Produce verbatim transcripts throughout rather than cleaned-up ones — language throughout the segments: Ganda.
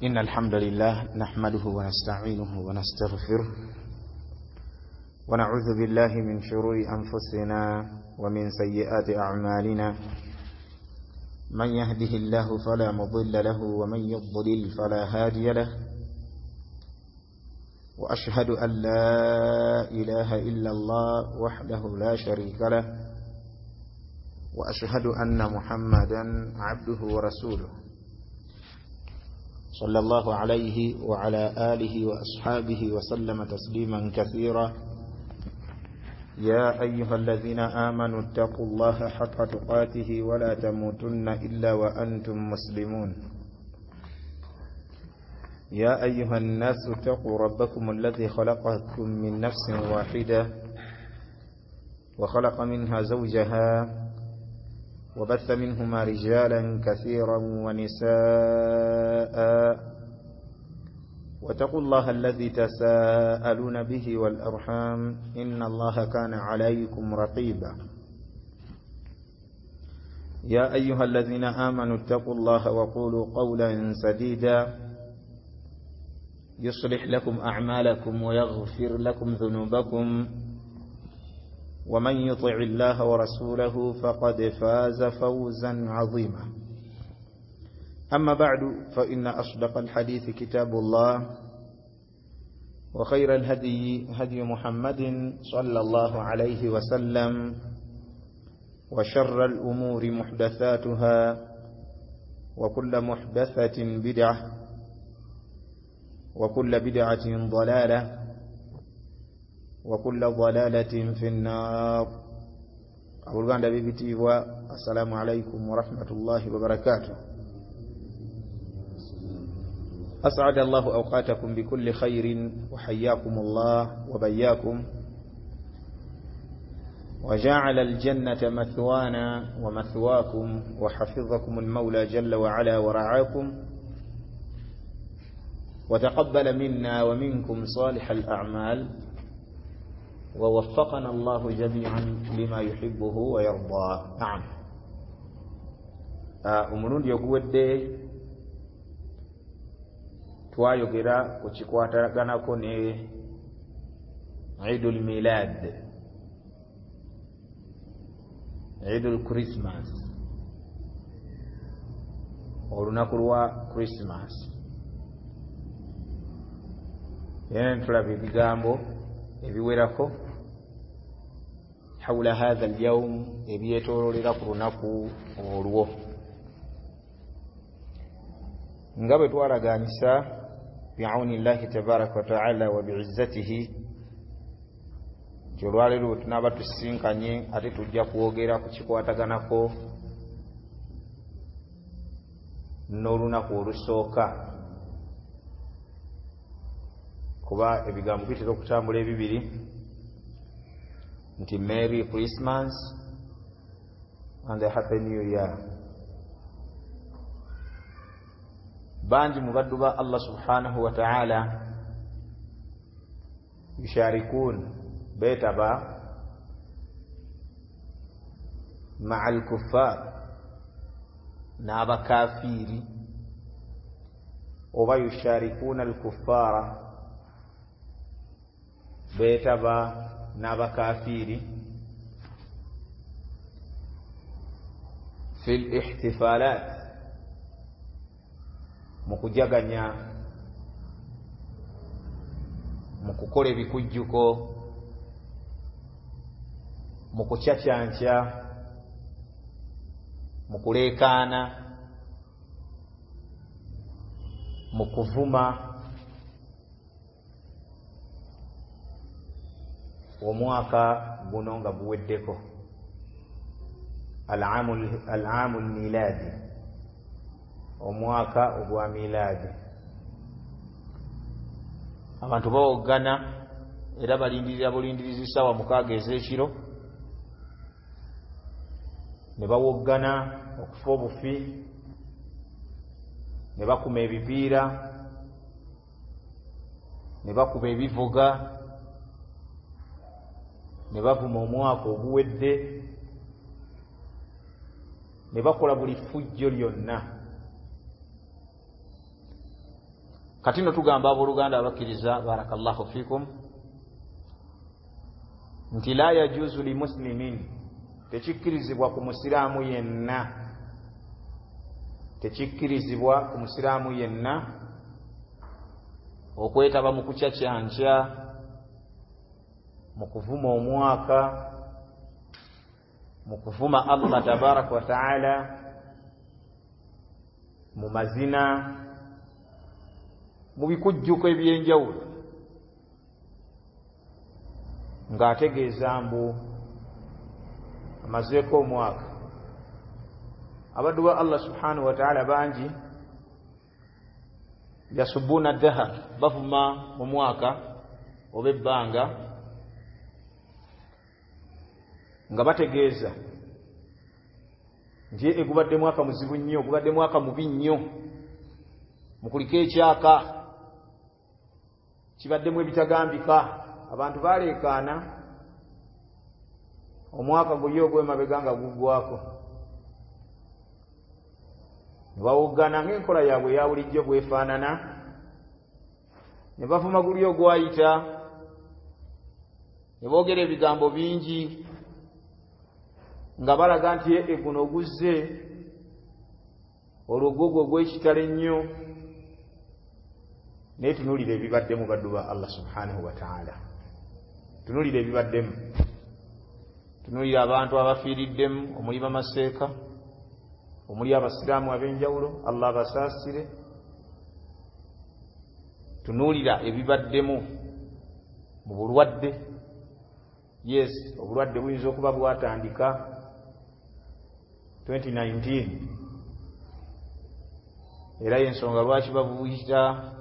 إن الحمد لله نحمده ونستعينه ونستغفره ونعوذ بالله من شرور أنفسنا ومن سيئات أعمالنا، من يهده الله فلا مضل له ومن يضلل فلا هادي له، وأشهد أن لا إله إلا الله وحده لا شريك له، وأشهد أن محمدا عبده ورسوله صلى الله عليه وعلى آله وأصحابه وسلم تسليما كثيرا. يا أيها الذين آمنوا اتقوا الله حق تقاته ولا تموتن إلا وأنتم مسلمون. يا أيها الناس اتقوا ربكم الذي خلقكم من نفس واحدة وخلق منها زوجها وبث منهما رجالا كثيرا ونساء، واتقوا الله الذي تساءلون به والأرحام إن الله كان عليكم رقيبا. يا أيها الذين آمنوا اتقوا الله وقولوا قولا سديدا يصلح لكم أعمالكم ويغفر لكم ذنوبكم، ومن يطع الله ورسوله فقد فاز فوزا عظيما. أما بعد، فإن أصدق الحديث كتاب الله، وخير الهدي هدي محمد صلى الله عليه وسلم، وشر الأمور محدثاتها، وكل محدثة بدعة، وكل بدعة ضلالة، وكل ضلالة في النار. Abooluganda b'ebitiibwa, assalamu alaikum warahmatullahi wabarakatuh. أسعد الله أوقاتكم بكل خير، وحياكم الله وبياكم، وجعل الجنة مثوانا ومثواكم، وحفظكم المولى جل وعلا ورعاكم، وتقبل منا ومنكم صالح الأعمال، ووفقنا الله جميعا لما يحبه ويرضى. نعم. Omulundi oguwedde twayogera ku kikwataganako ne Eidul Milad, Eidul Christmas, olunaku lwa Christmas. Era tulaba ebigambo ebiwerako hawla hadha al-yawm, ebyetoololera ku lunaku olwo, nga bwe twalagaanyisa bi'auni llahi tabaraka wa ta'ala wa bi'izzatihi, nti olwaleero bwe tunaaba tusisinkanye ate tujja kwogera ku kikwataganako n'olunaku olusooka, kuba ebigambo bitera okutambula ebibiri nti Merry Christmas and a Happy New Year. Bangi mu baddu ba Allah subhanahu wa ta'ala yusharikun, beetaba ma'a al-kuffar, n'abakafiiri, oba yusharikuna al-kuffara, beetaba n'abakafiiri fi al-ihtifalat, mu kujaganya, mu kukola ebikujjuko, mu kucacyanca, mu kuleekaana, mu kuvuma omwaka guno nga guweddeko, al-aamu al-miladi, omwaka ogwa miladi. Abantu bawoggana era balindirira bulindirizi ssaawa mukaaga ez'ekiro, ne bawoggana okufa obufi, ne bakuma ebipiira, ne bakuba ebivuga, ne bavuma omwaka oguwedde, ne bakola buli ffujjo lyonna. Kati nno tugamba abooluganda abakkiriza, barakallahu fikum, nti la yajuzu li muslimin, tekikkirizibwa ku musiraamu yenna, tekikkirizibwa ku musiraamu yenna okwetaba mu kucacyankya, mu kuvuma omwaka, mu kuvuma Allah tabaraka wa taala, mu mazina, mu bikujjuko ebyenjawulo, ng'ategeeza mbu amazeeko omwaka. Abaddu ba Allah subhanahu wa taala bangi yasubuna dahar, bavuma omwaka oba ebbanga nga bategeeza nti egubadde mwaka muzibu nnyo, gubadde mwaka mubi nnyo, mukuliko ekyaka, kibaddemu ebitagambika. Abantu baleekaana omwaka guli ogw'emabega nga guggwako, ne bawoggana ng'enkola yaabwe eya bulijjo bwefaanana, ne bavuma guli ogwayita, ne boogera ebigambo bingi nga balaga nti e guno oguzze olwo gwo gwe gw'ekitalo ennyo. Naye tunuulira ebibaddemu, baddu ba Allah subhanahu wa taala, tunuulira ebibaddemu, tunuulira abantu abafiiriddemu, omuli bamaseeka, omuli abasiraamu ab'enjawulo, Allah abasaasire. Tunuulira ebibaddemu mu bulwadde. Yes, obulwadde buyinza okuba bwatandika twenty nineteen, era y'ensonga lwaki babuyita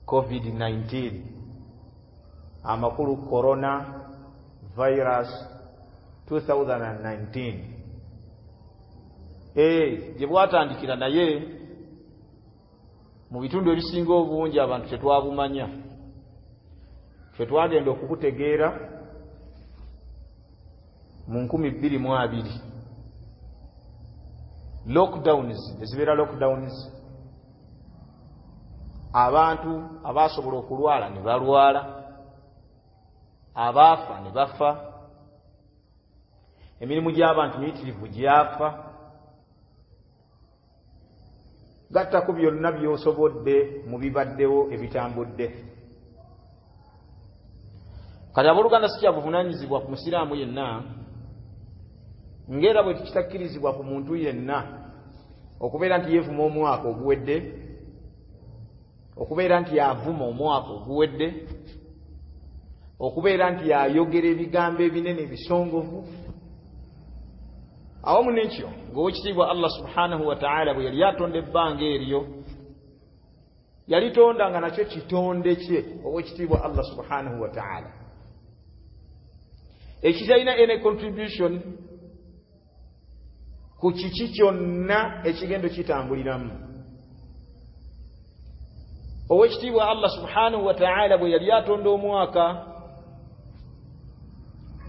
covid nineteen, amakulu corona virus two thousand nineteen. Eh, gye bwatandikira, naye mu bitundu ebisinga obungi abantu tetwabumanya. Ffe twagenda okubutegeera mu nkumi bbiri mu abiri. Lockdowns, ezibeera lockdowns, abantu abasobola okulwala ne balwala, abaafa ne bafa, emirimu gy'abantu miyitirivu gyafa. Gattako byonna by'osobodde mu bibaddewo ebitambudde. Kati abooluganda, si kyabuvunaanyizibwa ku musiraamu yenna, ng'era bwe kitakkirizibwa ku muntu yenna okubeera nti yeevuma omwaka oguwedde, okubeera nti avuma omwaka oguwedde, okubeera nti ayogera ebigambo ebinene ebisongovu. Awamu n'ekyo, ng'owekitiibwa Allah subhanahu wa taala bwe yali atonda ebbanga eryo, yalitonda nga nakyo kitonde kye owekitiibwa Allah subhanahu wa taala, ekitalina any contribution ku kiki kyonna ekigendo kitambuliramu. Owekitiibwa Allah subhanahu wa taala bwe yali atonda omwaka,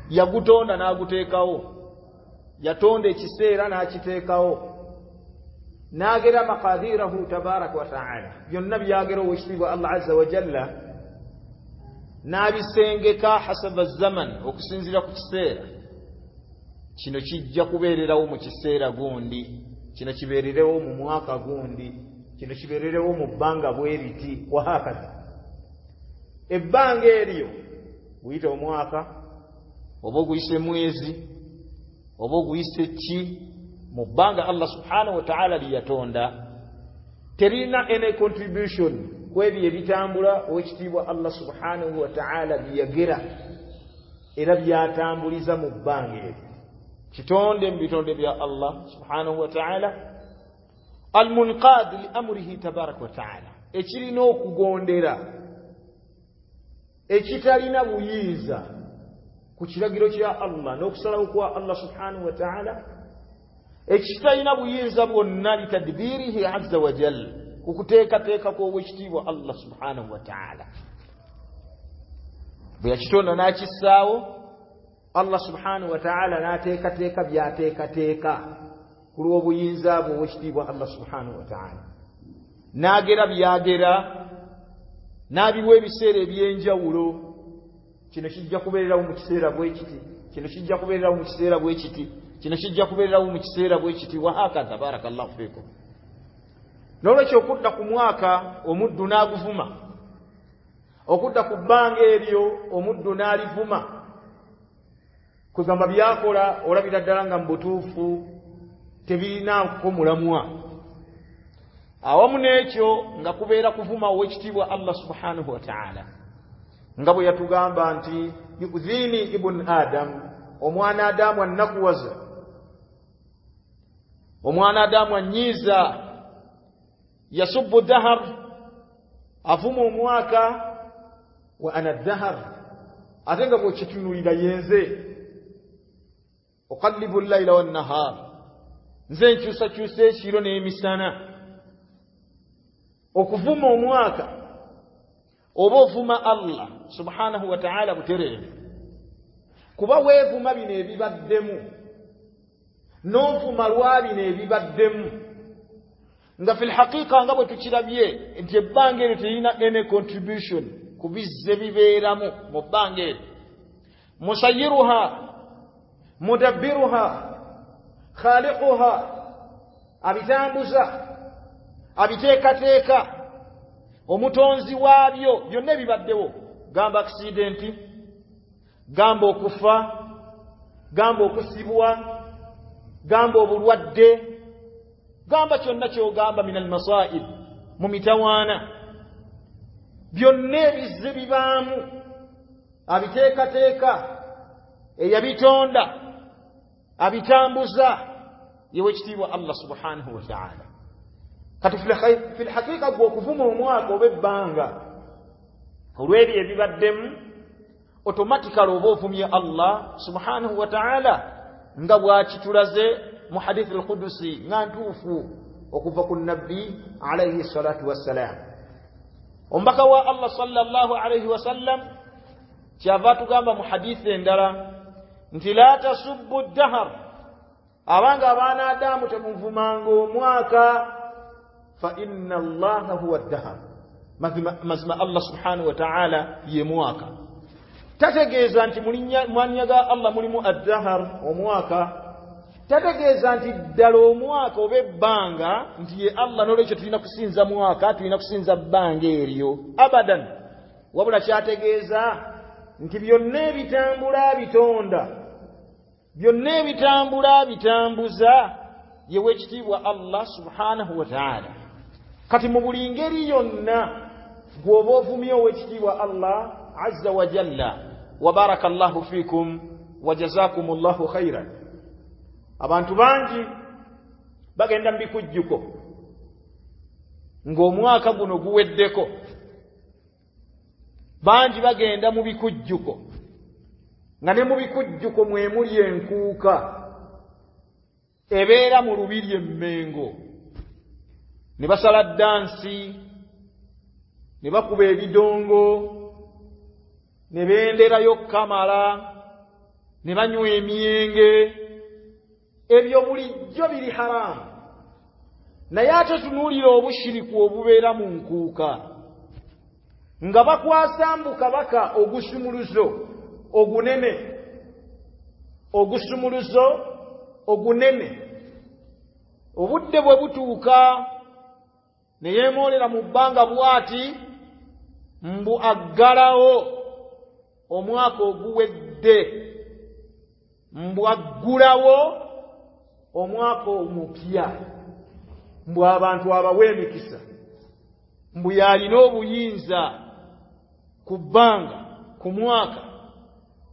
yagutonda n'aguteekawo, yatonda ekiseera n'akiteekawo, n'agera maqadirahu tabaraka wa taala, byonna byagera owekitiibwa Allah azza wa jalla n'abisengeka hasaba zaman, okusinziira ku kiseera. Kino kijja kubeererawo mu kiseera gundi, kino kibeererewo mu mwaka gundi, kino kibeererewo mu bbanga bwe riti, wahakaza. Ebbanga eryo guyite omwaka, oba oguyise mwezi, oba oguyise ki, mu bbanga Allah subhanahu wa taala lye yatonda, terina any contribution ku ebyo ebitambula owekitiibwa Allah subhanahu wa taala byeyagera era byatambuliza mu bbanga eryo. Kitonde mu bitonde bya Allah subhanahu wa taala, almunqad li amrihi tabaraka wa taala, ekirina okugondera, ekitalina buyinza ku kiragiro kya Allah n'okusalawo kwa Allah subhanahu wa taala, ekitalina buyinza bwonna litadbirihi azza wa jalla, ku kuteekateeka kw'owekitiibwa Allah subhanahu wa taala. Bwe yakitonda n'akissaawo, Allah subhanahu wa taala n'ateekateeka by'ateekateeka ku lw'obuyinza bwe owekitiibwa Allah subhanahu wa taala. N'agera byagera, n'abiwa ebiseera eby'enjawulo. Kino kijja kubeererawo mu kiseera bwe kiti, kino kijja kubeererawo mu kiseera bwe kiti, kino kijja kubeererawo mu kiseera bwe kiti, wahakaza. Barakallahu fikum. N'olwekyo okudda ku mwaka omuddu n'aguvuma, okudda ku bbanga eryo omuddu n'alivuma, kwegamba byakola olabira ddala nga mu butuufu tebirinaako mulamwa. Awamu n'ekyo nga kubeera kuvuma ow'ekitiibwa Allah subhanahu wa ta'ala, nga bwe yatugamba nti yu'dhini ibn Adam, omwana Adamu annakuwaza, omwana Adamu annyiiza. Yasubbu dahar, avuma omwaka, wa ana dahar, ate nga bw'okitunulira yenze. Uqallibu llaila wannahar, nze nkyusakyusa ekiro n'emisana. Okuvuma omwaka oba ovuma Allah subhanahu wa ta'ala butereevu, kuba weevuma bino ebibaddemu n'ovuma lwa bino ebibaddemu, nga fil haqiqa nga bwe tukirabye nti ebbanga eryo terina any contribution ku bizze bibeeramu mu bbanga eryo. Musayiruha, mudabbiruha, khaliquha, abitambuza, abiteekateeka, omutonzi waabyo byonna ebibaddewo. Gamba accident, gamba okufa, gamba okusibwa, gamba obulwadde, gamba kyonna ky'ogamba min almasaib, mu mitawaana, byonna ebizze bibaamu abiteekateeka, eyabitonda, abitambuza, yewekitiibwa Allah subhanahu wa ta'ala. Kati fil haqiqa gwe okuvuma omwaka oba ebbanga olw'ebyo ebibaddemu, automatically oba ovumye Allah subhanahu wa ta'ala, nga bw'akitulaze mu hadith al-Qudusi nga ntuufu okuva ku nabbi alayhi salatu wassalam. Omubaka wa Allah sallallahu alayhi wasallam kyava atugamba mu hadithi endala nti la tasubbu dahar, abanga abaana Adamu temuvumanga omwaka, fa inna Allaha huwa dahar, mazima Allah subhanahu wa ta'ala ye mwaka. Tategeeza nti mulinnya ga Allah mulimu ad-dahar, omwaka. Tategeeza nti ddala omwaka oba ebbanga nti ye Allah, n'olwekyo tulina kusinza mwaka, tulina kusinza bbanga eryo abadan. Wabula kyategeeza nti byonna ebitambula bitonda, byonna ebitambula bitambuza, ye w'ekitiibwa Allah subhanahu wa ta'ala. Kati mu buli ngeri yonna gw'oba ovumye ow'ekitiibwa Allah azza wa jalla. Wa barakallahu fikum wa jazakumullahu khairan. Abantu bangi bagenda mu bikujjuko ng'omwaka guno guweddeko, bangi bagenda mu bikujjuko nga ne mu bikujjuko mwe muli enkuuka ebeera mu lubiri emmengo, ne basala dansi, ne bakuba ebidongo, ne benderayo kamala, ne banywa emyenge. Ebyo bulijjo biri haramu, naye ate tunuulira obushiriku obubeera mu nkuuka, nga bakwasa mbu kabaka ogusumuluzo ogunene, ogusumuluzo ogunene. Obudde bwe butuuka ne yeemoolera mu bbanga bw'ati mbu aggalawo omwaka oguwedde, mbu aggulawo omwaka omupya, mbu abantu abawe emikisa, mbu yalina obuyinza ku bbanga, ku mwaka.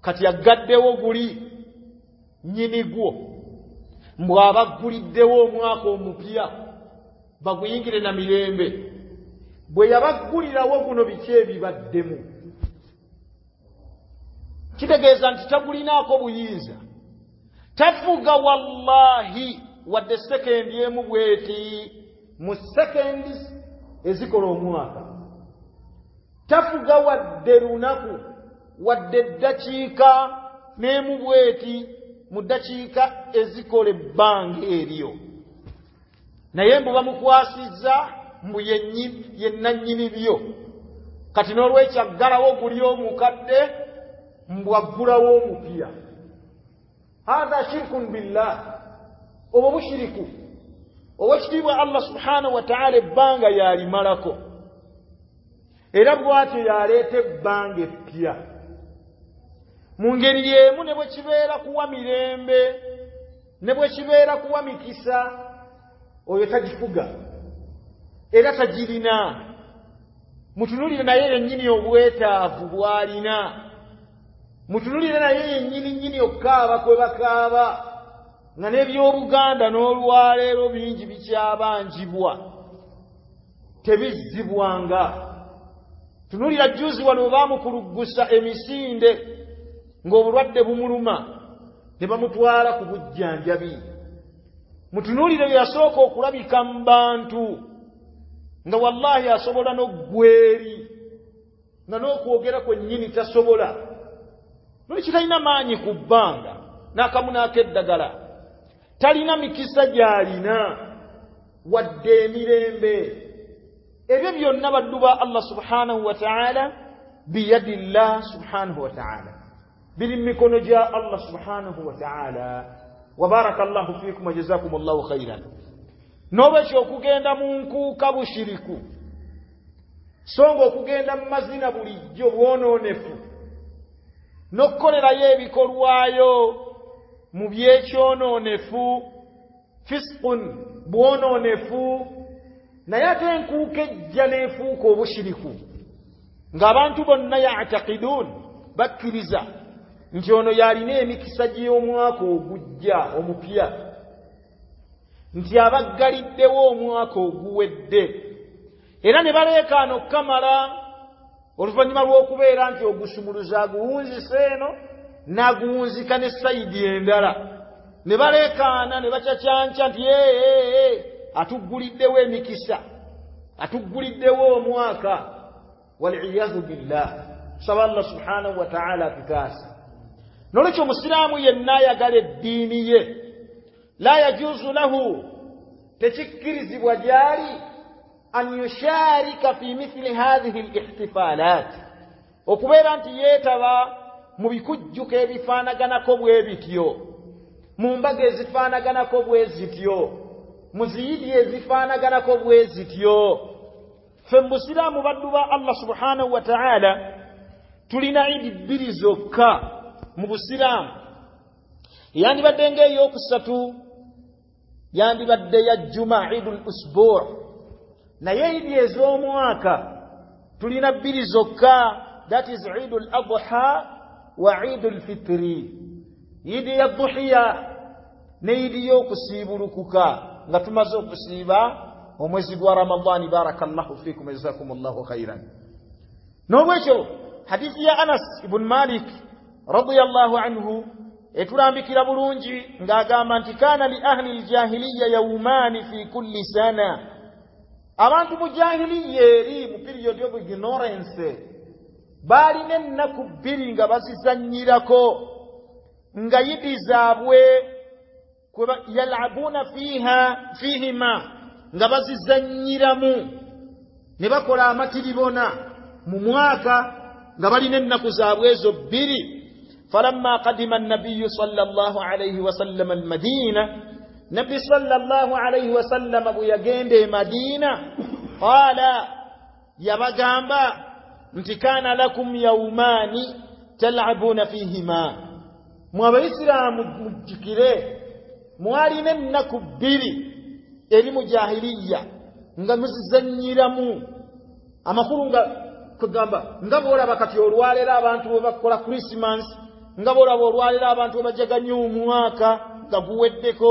Kati aggaddewo guli nnyini gwo, mbu abagguliddewo omwaka omupya baguyingire na mirembe. Bwe yabaggulirawo guno biki ebibaddemu? Kitegeeza nti tagulinaako buyinza, tafuga wallahi wadde sekendi emu bweti mu sekendi ezikola omwaka, tafuga wadde lunaku wadde eddakiika n'emu bweti mu ddakiika ezikola ebbanga eryo. Naye mbu bamukwasizza mbu ye nannyini byo. Kati n'olwekyo aggalawo guli omukadde mbu aggulawo omupya. Hadha shirkun billah, obwo bushiriku. Owekitiibwa Allah subhanahu wa ta'ala ebbanga yalimalako, era bw'atyo yaleeta ebbanga eppya. Mu ngeri y'emu ne bwe kibeera kuwa mirembe, ne bwe kibeera kuwa mikisa, oyo tagifuga era tagirina. Mutunulire naye yennyini obwetaavu bw'alina, mutunulire naye yennyini nnyini okukaaba kwe bakaaba, nga n'ebyobuganda n'olwaleero bingi bikyabanjibwa, tebizzibwanga. Tunulira jjuzi wano baamukuluggusa emisinde ng'obulwadde bumuluma ne bamutwala ku bujjanjabi. Mutunulire bye yasooka okulabika mu bantu nga wallahi asobola n'oggweri, nga n'okwogera kwennyini tasobola. Noli kitalina maanyi ku bbanga n'akamu n'akeddagala, talina mikisa gy'alina wadde emirembe. Ebyo byonna baddu ba Allah subhanahu wa ta'ala, biyadillah subhanahu wa ta'ala, biri mu mikono gya Allah subhanahu wa ta'ala. Wa barakallahu fiikum wa jazakumullahu khairan. N'olwekyo okugenda mu nkuuka bushiriku, so nga okugenda mu mazina bulijjo bwonoonefu, n'okukolerayo ebikolwayo mu byekyonoonefu, fisqun, bwonoonefu. Naye ate enkuuka ejja n'efuuka obushiriku, ng'abantu bonna ya'taqidun, bakkiriza nti ono yalina emikisa gy'omwaka ogujja omupya, nti abaggaliddewo omwaka oguwedde, era ne baleekaana okukamala oluvannyuma lw'okubeera nti ogusumuluza aguwunzisa eno n'aguwunzika ne sayidi endala, ne baleekaana ne bacacanca nti ee atugguliddewo emikisa, atugguliddewo omwaka. Waliyadhu billah, tusaba Allah subhanahu wa ta'ala atutaasa. N'olwekyo omusiraamu yenna ayagala eddiini ye, la yajuzu lahu, tekikkirizibwa gy'ali an yusharika fi mithli hadhihi al-ihtifalat, okubeera nti yeetaba mu bikujjuko ebifaanaganako bwe bityo, mu mbaga ezifaanaganako bwe zityo, mu ziyidi ezifaanaganako bwe zityo. Ffe mu busiraamu baddu ba Allah subhanahu wa ta'ala tulina idi bbiri zokka mu busiraamu. Yandibadde ng'eyokusatu yandibadde ya Juma, Idul Usbu', naye idi ez'omwaka tulina bbiri zokka, that is Idul Adha wa Idul Fitri, idi ya Dhuhiya ne idi y'okusiibulukuka nga tumaze okusiiba omwezi gwa Ramadhani. Barakallahu fikum, jazakumullahu khairan. N'olwekyo hadithi ya Anas ibn Malik radiyallahu anhu etulambikira bulungi ng'agamba nti kana li ahli ljahiliya yawmani fi kulli sana. Abantu mu jahiliya eri mu period of ignorance baalina ennaku bbiri nga bazizannyirako, nga yidi zaabwe yalabuna fiha fihima, nga bazizannyiramu ne bakola amatiribona mu mwaka nga balina ennaku zaabwe ezo bbiri. Falamma qadima an-nabiyyu sallallahu alayhi wasallam al-Madina, Nabbi sallallahu alayhi wasallam bwe yagenda e Madina, qala, yabagamba nti kana lakum yawmani tal'abuna fihima, mwe abayisiraamu mujjukire mwalina ennaku bbiri eri mu jahiliya nga muzizannyiramu. Amakulu nga kugamba nga bw'olaba kati olwaleero abantu bwe bakola Christmas, nga bw'olaba olwaleero abantu bwe bajaganya omwaka nga guweddeko,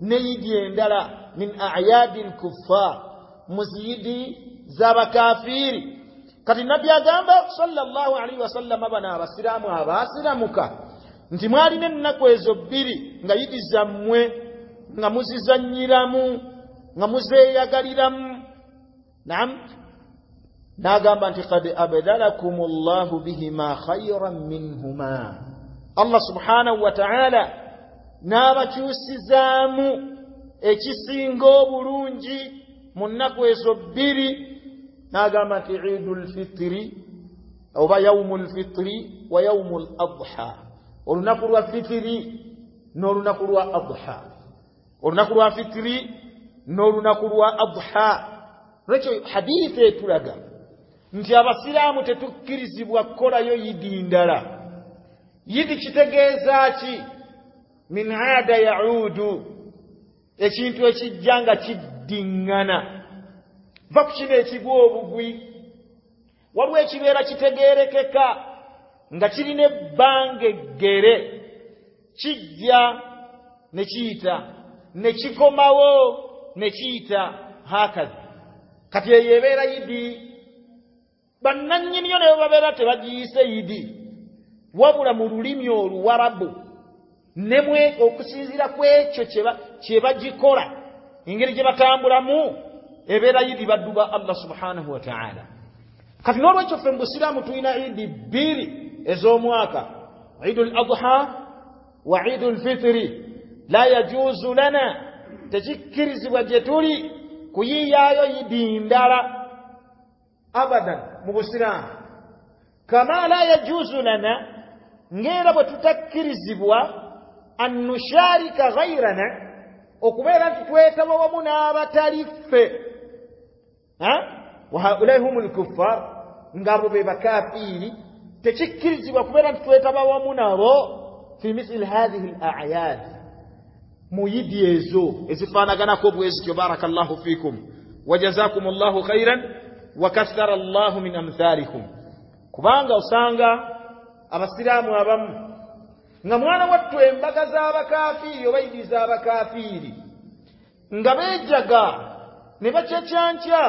n'eyidi endala min a'yadi l-kuffar, mu ziyidi z'abakafiiri. Kati Nabbi agamba sallallahu alaihi wasallam bano abasiraamu abaasiramuka nti mwalina ennaku ezo bbiri nga yidi zammwe nga muzizannyiramu nga muzeeyagaliramu. Naam, n'agamba nti qad abdalakum Allahu bihima khayran minhuma, Allah subhanahu wa ta'ala n'abakyusizaamu ekisinga obulungi Mu nnaku ezo bbiri n'agamba nti Idul Fitri oba Yaumul Fitri wa Yaumul Adha, olunaku lwa fitiri n'olunaku lwa adha, olunaku lwa fitiri n'olunaku lwa adha. Lwekyo hadithi etulaga nti abasiraamu tetukkirizibwa kukolayo yidi ndala. Yidi kitegeeza ki? Min aada yaudu, ekintu ekijja nga kiddiŋŋana. Va ku kino ekigwa obugwi, waliwo ekibeera kitegeerekeka nga kirina ebbanga eggere, kijja ne kiyita ne kikomawo ne kiyita hakazi. Kati eyo ebeera yidi, bannannyiniyo ne babeera tebagiyise yidi, wabula mu lulimi oluwarabu nemwe okusinziira ku ekyo kye bagikola, engeri gye batambulamu ebeera yidi baddu ba Allah subhanahu wa ta'ala. Kati n'olwekyo ffe mu busiraamu tulina idi bbiri ez'omwaka, Idul Adha wa Idul Fitri. La yajuzu lana, tekikkirizibwa gye tuli kuyiiyaayo yidi ndala abadan mu busiraamu. Kama la yajuzu lana, ng'era bwe tutakkirizibwa an nusharika ghayrana, okubeera nti twetaba wamu n'abatali ffe, wa haulai humul kuffar, ng'abo be bakafiiri, tekikkirizibwa kubeera nti twetaba wamu nabo fi mithli hadhihi al-a'yad, mu yidi ezo ezifaanaganako bwe zityo. Barakallahu fikum wa jazakumullahu khairan wa kathara Allahu min amthalikum. Kubanga osanga abasiraamu abamu nga mwana wattu embaga z'abakafiiri oba idi z'abakafiiri nga beejaga ne bakyekyankya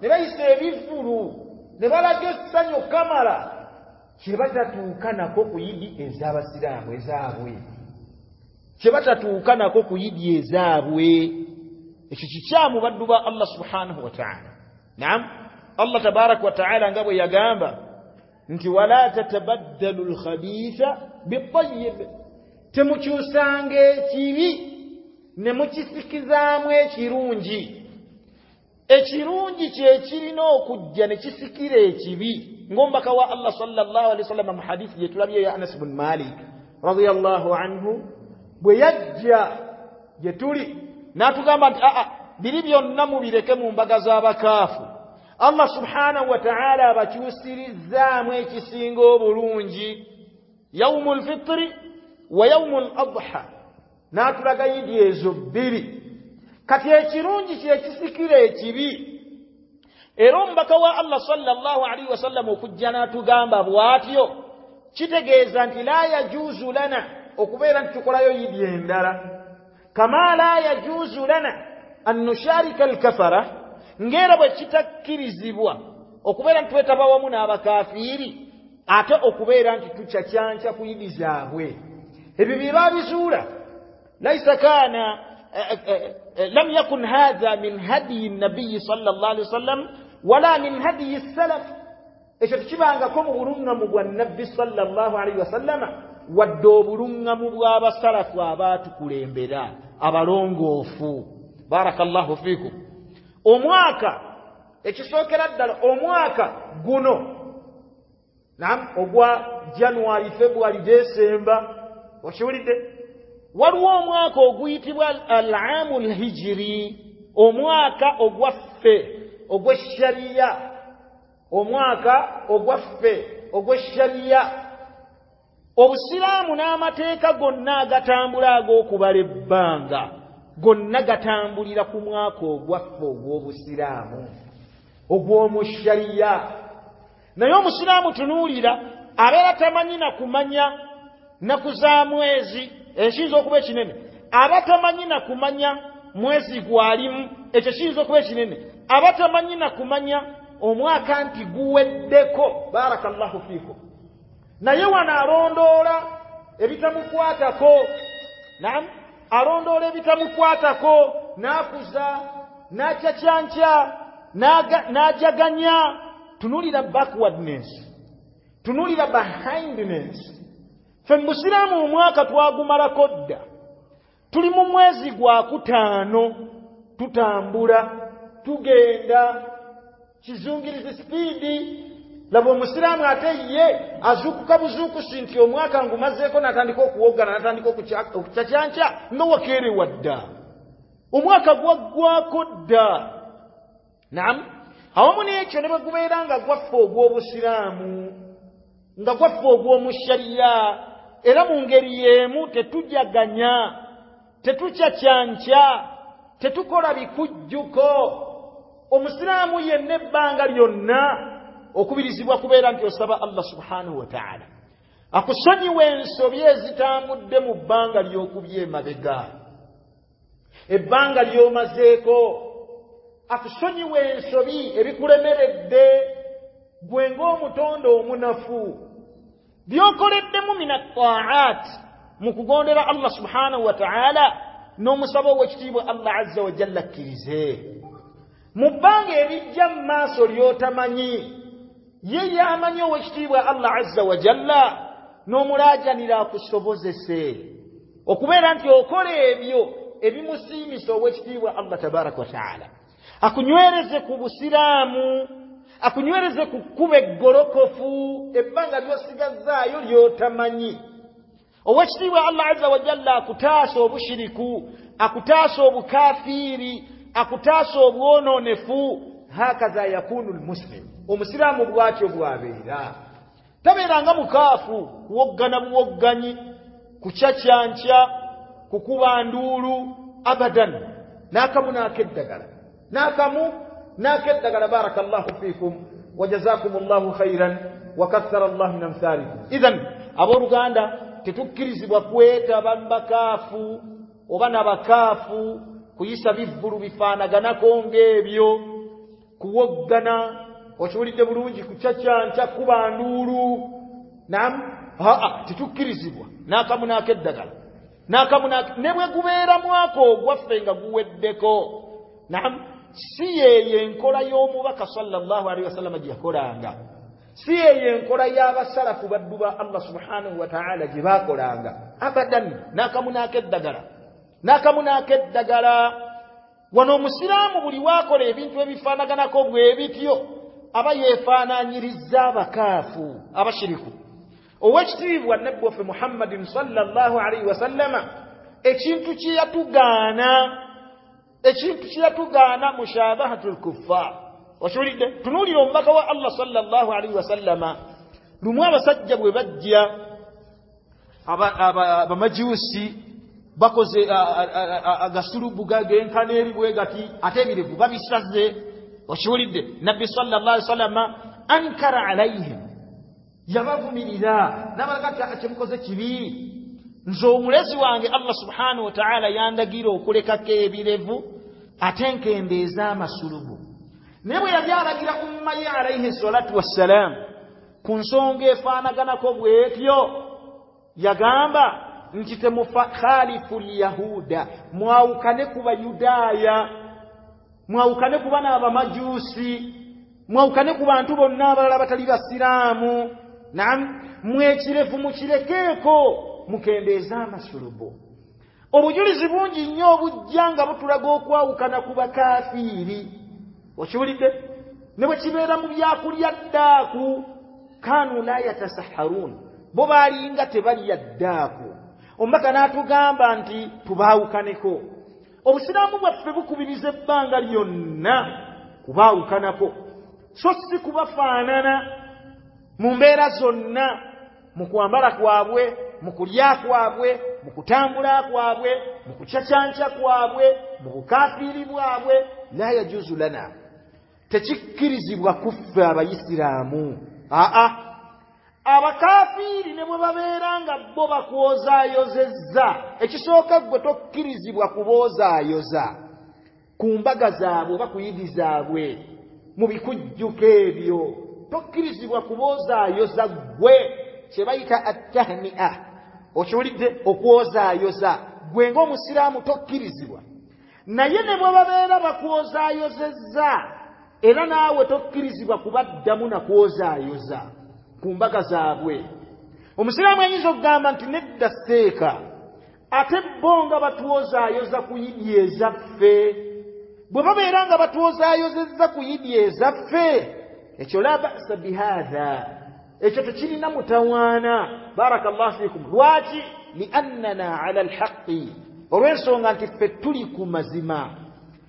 ne bayisa ebivvulu ne balaga essanyu kamala, kye batatuuka nako ku yidi ez'abasiraamu ezaabwe, kye batatuuka nako ku yidi ezaabwe. Ekyo kikyamu baddu ba Allah subhanahu wa ta'ala. Naam, Allah tabaraka wa ta'ala nga bwe yagamba nti wala tatabaddalu lkhabitha bitayib, temukyusanga ekibi ne mukisikizaamu ekirungi. Ekirungi kye kirina okujja ne kisikira ekibi, ng'omubaka wa Allah sallallahu alaihi wasallam mu hadithi gye tulabye ya Anas bin Malik radiyallahu anhu bwe yajja gye tuli n'atugamba nti aa, biri byonna mubireke mu mbaga z'abakaafu, Allah subhanahu wa ta'ala abakyusirizzaamu ekisinga obulungi, Yaumul Fitri wa Yaumul Adha, n'atulaga yidi ezo bbiri. Kati ekirungi kye kisikira ekibi. Era omubaka wa Allah sallallahu alaihi wasallam okujja n'atugamba bw'atyo kitegeeza nti la yajuzu lana okubeera nti tukolayo yidi endala, kama la yajuzu lana an nusharika alkafara, ng'era bwe kitakkirizibwa okubeera nti twetaba wamu n'abakafiiri ate okubeera nti tukyakyanca ku yidi zaabwe. Ebyo bye babizuula. Laisa kaana lam yakun hadha min hadiyi nabiyi sallallahu alaihi wasallam wala min hadiyi salaf, ekyo tekibangako mu bulungamu bwa nabbi sallallahu alaihi wasallama wadde obulungamu bw'abasalafu abaatukulembera abalongoofu. Barakallahu fikum. Omwaka ekisookera ddala omwaka guno, naam, ogwa January, February, December, okiwulidde, waliwo omwaka oguyitibwa al-aamu al-hijri, omwaka ogwaffe ogw'eshariya, omwaka ogwaffe ogw'eshariya. Obusiraamu n'amateeka gonna agatambula ag'okubala ebbanga gonna gatambulira ku mwaka ogwaffe ogw'obusiraamu ogw'omushariya. Naye omusiraamu tunuulira abeera tamanyi na kumanya nnaku za mwezi, ekiyinza okuba ekinene, aba tamanyi na kumanya mwezi gwalimu, ekyo kiyinza okuba ekinene, aba tamanyi na kumanya omwaka nti guweddeko. Barakallahu fikum. Naye wano alondoola ebitamukwatako, naam, alondoola ebitamukwatako, n'akuza n'akyakyankya n'ajaganya. Tunuulira backwardness, tunuulira behindness. Ffe mu busiraamu omwaka twagumalako dda, tuli mu mwezi gwa kutaano tutambula, Tugenda kizungirizi sipiidi. Laba omusiraamu ate ye azuukuka buzuukusi nti omwaka ngumazeeko, n'atandika okuwoggana, n'atandika okucacyanca nga wakeerewa dda, omwaka gwaggwako dda. Naam, awamu n'ekyo ne bwe gubeera nga gwaffe ogw'obusiraamu, nga gwaffe ogw'omushariya, era mu ngeri y'emu tetujaganya, tetucacyanca, tetukola bikujjuko. Omusiraamu yenna ebbanga lyonna okubirizibwa kubeera nti osaba Allah subhanahu wa ta'ala akusonyiwe ensobi ezitambudde mu bbanga ly'okubye emabega, ebbanga ly'omazeeko, akusonyiwe ensobi ebikulemeredde gwe ng'omutonde omunafu, by'okoleddemu mina taat, mu kugondera Allah subhanahu wa ta'ala, n'omusaba ow'ekitiibwa Allah azza wa jalla akkirize. Mu bbanga erijja mu maaso ly'otamanyi, ye yamanyi ow'ekitiibwa Allah azza wa jalla, n'omulaajanira akusobozese okubeera nti okola ebyo ebimusiimisa ow'ekitiibwa Allah tabaraka wa taala, akunywereze ku busiraamu, akunywereze ku kkubo eggolokofu ebbanga ly'osigazzaayo ly'otamanyi. Ow'ekitiibwa Allah azza wa jalla akutaasa obushiriku, akutaasa obukafiiri, akutaasa obwonoonefu. Hakaza yakunu lmuslim, omusiraamu bw'atyo bw'abeera. Tabeeranga mukaafu, kuwoggana buwogganyi, kucacyanca, kukuba nduulu, abadan. N'akamu n'akeddagala, n'akamu n'akeddagala. Barakallahu fiikum wa jazakumullahu khairan wa kathara Allahu min amthalikum. Idhan abooluganda, tetukkirizibwa kwetaba mu bakaafu oba n'abakaafu, kuyisa bivvulu bifaanaganako ng'ebyo, kuwoggana, okiwulidde bulungi, kucacyanca, kuba nduulu. Naam, aa tetukkirizibwa n'akamu n'akeddagala, n'akamu ne bwe gubeera mwaka ogwaffe nga guweddeko. Naam, si yeeyo enkola y'omubaka sallallahu alaihi wasallama gye yakolanga, si yeeyo enkola y'abasalafu baddu ba Allah subhanahu wa ta'ala gye baakolanga abadan. N'akamu n'akeddagala, n'akamu n'akeddagala. Wano omusiraamu buli waakola ebintu ebifaanaganako bwe bityo aba yeefaanaanyirizza abakaafu, abashiriku. Ow'ekitiibwa Nabbi waffe Muhammadin sallallahu alaihi wasallama ekintu kye yatugaana, ekintu kye yatugaana mushabahatul kuffar. Okiwulidde? Tunuulira omubaka wa Allah sallallahu alaihi wasallama, lumu abasajja bwe bajja abamajuusi bakoze agasulubu genkana eri bwe gati, ate ebirevu babisaze. Okiwulidde? Nabbi sallallahu alaihi wasallama ankara alaihim, yabavumirira n'abalaga nti kyemukoze kibi. Nze omulezi wange Allah subhanahu wa ta'ala yandagira okulekako ebirevu ate nkendeeza amasulubu. Naye bwe yali alagira umma ye alaihi salatu wassalam ku nsonga efaanaganako bw'etyo, yagamba nti temukhalifu lyahuda, mwawukane ku bayudaaya, mwawukane ku bana abamajuusi, mwawukane ku bantu bonna abalala abatali basiraamu. Naam, mwekirevu mukirekeeko, mukendeeze amasulubu. Obujulizi bungi nnyo obujja nga butulaga okwawukana ku bakafiiri. Okiwulidde? Ne bwe kibeera mu byakulya ddaaku, kanu la yatasaharuun, bo baalinga tebalya ddaaku. Omubaka n'atugamba nti tubaawukaneko. Obusiraamu bwaffe bukubiriza ebbanga lyonna kubaawukanako, so si kubafaanana mu mbeera zonna, mu kwambala kwabwe, mu kulya kwabwe, mu kutambula kwabwe, mu kucacyanca kwabwe, mu bukafiiri bwabwe. La yajuzu lana, tekikkirizibwa kuffe abayisiraamu. Aa, abakafiiri ne bwe babeera nga bo bakwozaayozezza, ekisooka ggwe tokkirizibwa kuboozaayoza ku mbaga zaabwe oba ku yidi zaabwe, mu bikujjuko ebyo tokkirizibwa kuboozaayoza ggwe, kye bayita attahni'a. Okiwulidde? Okwozaayoza ggwe ng'omusiraamu tokkirizibwa. Naye ne bwe babeera bakwozaayozezza, era naawe tokkirizibwa kubaddamu na kwozaayoza ku mbaga zaabwe. Omusiraamu ayinza okugamba nti nedda seeka, ate bo nga batwozaayoza ku yidi ezaffe, Bwe babeera nga batwozaayozezza ku yidi ezaffe, ekyo la ba'sa bihaadha, ekyo tekirina mutawaana. Barakallahu fikum. Lwaki? Liannana ala alhaqi, olw'ensonga nti ffe tuli ku mazima,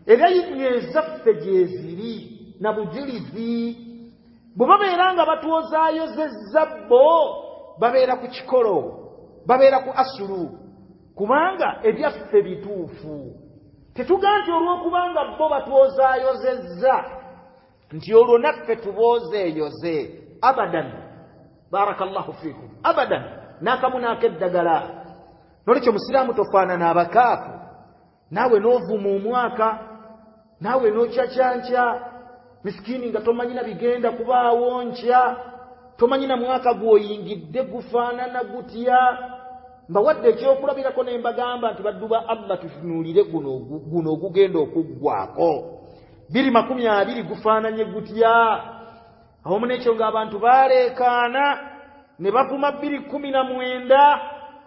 era yidi ezaffe gyeziri na bujulizi. Bwe babeera nga batwozaayozezza bo babeera ku kikolo, babeera ku asulu, kubanga ebyaffe bituufu. Tetugaa nti olw'okubanga bo batwozaayozezza nti olwo naffe tuboozeeyoze, abadan. Barakallahu fikum, abadan, n'akamu n'akeddagala. Nolwekyo musiraamu tofaanana abakaafu, naawe n'ovuma omwaka, naawe n'okyakyankya misikini nga tomanyina bigenda kubaawo nkya, tomanyina mwaka gw'oyingidde gufaanana gutya. Mbawadde ekyokulabirako ne mbagamba nti baddu ba Allah, tutunuulire guno guno ogugenda okuggwako biri makumi abiri gufaananye gutya. Awamu n'ekyo ng'abantu baleekaana ne bavuma bbiri kkumi na mwenda,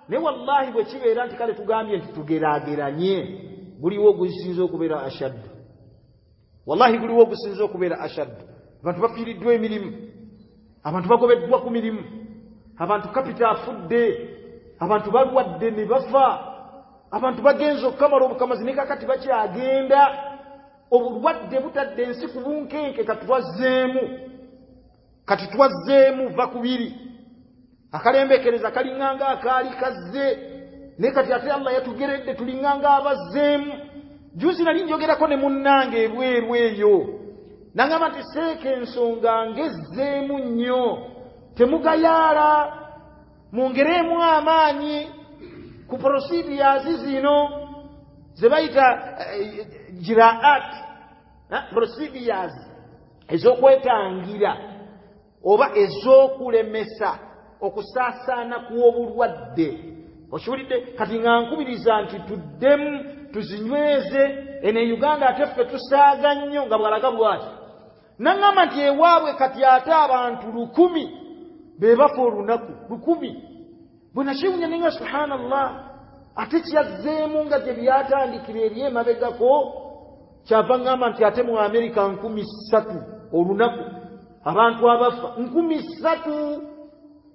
ne wallahi bwe kibeera nti kale tugambye nti tugeraageranye, guliwo ogusinze okubeera ashaddu. Wallahi guliwo ogusinze okubeera ashaddu. Abantu bafiiriddwa emirimu, abantu bagobeddwa ku mirimu, abantu kapita afudde, abantu balwadde ne bafa, abantu bagenze okukamala obukamazi ne kakati bakyagenda. Obulwadde butadde ensi ku bunkenke, kati twazzeemu, kati twazzeemu va kubiri. Akalembekereza kalinganga akaali kazze, naye kati ate Allah yatugeredde tulinganga abazzeemu. Juzi nali njogerako ne munnange ebweru eyo, nangamba nti seeka ensonga ngezzeemu nnyo, temugayaala, mwongeremu amaanyi ku procedures zino ze bayita jiraat, procedures ez'okwetangira oba ez'okulemesa okusaasaana kw'obulwadde. Okiwulidde? Kati nga nkubiriza nti tuddemu tuzinyweze. Eno e Uganda ate ffe tusaaga nnyo nga bwalaga bwati. Naŋŋamba nti ewaabwe kati ate abantu lukumi be bafa olunaku, lukumi. Bwe nakiwunya ne nga subhanallah, ate kyazzeemu nga gye byatandikira eri emabegako. Kyava ŋŋamba nti ate mu Amerika nkumi ssatu olunaku abantu abafa nkumi ssatu.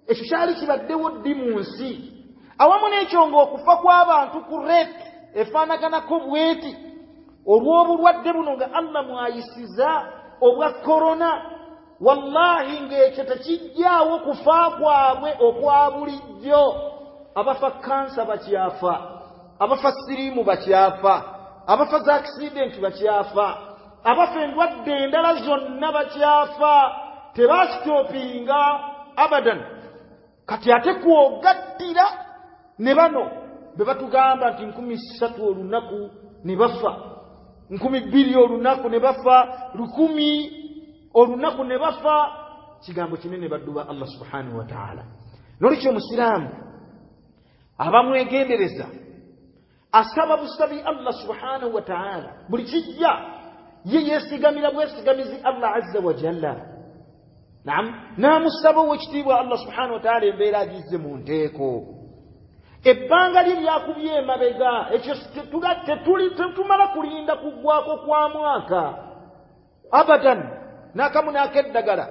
Ekyo kyali kibaddewo ddi mu nsi? Awamu n'ekyo ng'okufa kw'abantu ku rate efaanaganako bweti olw'obulwadde buno nga Allah mwayisiza obwa korona, wallahi ng'ekyo tekijjaawo kufa kwabwe okwa bulijjo. Abafa kansa bakyafa, abafa siriimu bakyafa, abafa za akisidenti bakyafa, abafa endwadde endala zonna bakyafa, tebasitopinga abadan. Kati ate kwogattira ne bano be batugamba nti nkumi ssatu olunaku ne bafa, nkumi bbiri olunaku ne bafa, lukumi olunaku ne bafa. Kigambo kinene baddu ba Allah subhanahu wa ta'ala. Nolwekyo omusiraamu abamwegendereza asaba busabi Allah subhanahu wa ta'ala buli kijja, ye yeesigamira bwesigamizi Allah azza wa jalla. Naam, n'amusaba owekitiibwa Allah subhanahu wa ta'ala embeera agizze mu nteeko. Ebbanga lye lyakubye emabega, ekyo tetumala kulinda kuggwako kwa mwaka abadan, n'akamu n'akeddagala.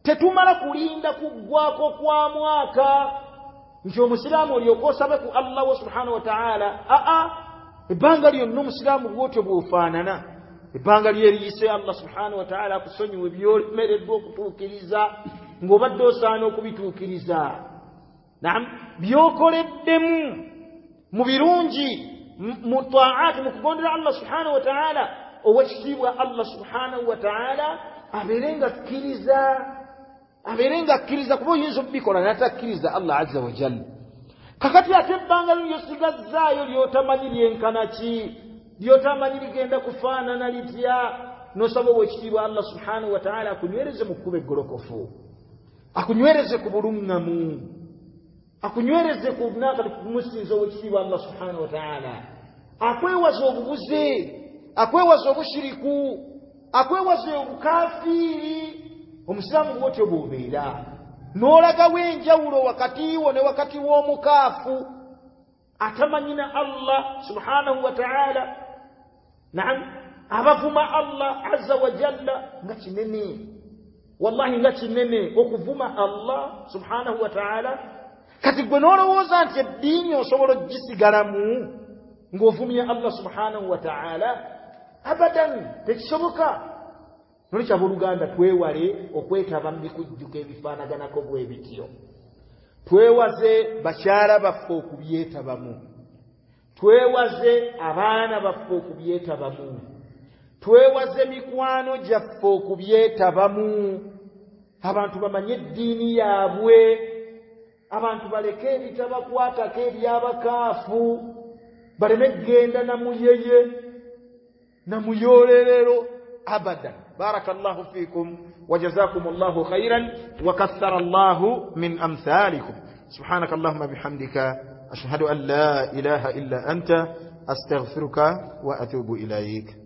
Tetumala kulinda kuggwako kwa mwaka nti omusiraamu olyoka osabe ku Allah we subhanahu wa ta'ala. Aa, ebbanga lyonna omusiraamu bw'otyo bw'ofaanana, ebbanga lyeriyise Allah subhanahu wa ta'ala akusonyiwe by'olemereddwa okutuukiriza ng'obadde osaana okubituukiriza. Naam, by'okoleddemu mu birungi, mu taati, mu kugondera Allah subhanahu wa ta'ala, owekitiibwa Allah subhanahu wa ta'ala abeere nga akkiriza, abeere nga akkiriza, kuba oyinza okubikola n'atakkiriza Allah azza wa jalla. Kakati ate ebbanga lyosigazzaayo ly'otamanyi lyenkana ki, ly'otamanyi ligenda kufaanana litya, n'osaba owekitiibwa Allah subhanahu wa ta'ala akunywereze mu kkubo eggolokofu, akunywereze ku buluŋŋamu, akunywereze ku nakati kumusinza owekitiibwa Allah subhanahu wa ta'ala, akwewaza obubuze, akwewaza obushiriku, akwewaza obukafiiri. Omusiraamu bw'otyo bw'obeera n'olagawo enjawulo wakati wo ne wakati w'omukaafu atamanyina Allah subhanahu wa ta'ala. Naam, Abavuma Allah azza wa jalla nga kinene, wallahi nga kinene okuvuma Allah subhanahu wa ta'ala. Kati gwe n'olowooza nti eddiini osobola ogisigalamu ng'ovumye Allah subhanahu wa ta'ala? Abadan, tekisoboka. Nolwekyo abooluganda, twewale okwetaba mu bikujjuko ebifaanaganako bwe bityo. Twewaze bakyala baffe okubyetabamu, twewaze abaana baffe okubyetabamu, twewaze mikwano gyaffe okubyetabamu. Abantu bamanye eddiini yaabwe, abantu baleke ebitabakwatako ebyabakaafu, baleme kugenda namuyeye namuyoolerero abadan. Barakallahu fikum wa jazakumullahu khairan wa kathara Allahu min amthalikum. Subhanaka Allahumma bihamdika ashhadu an la ilaha illa anta astaghfiruka wa atubu ilayk.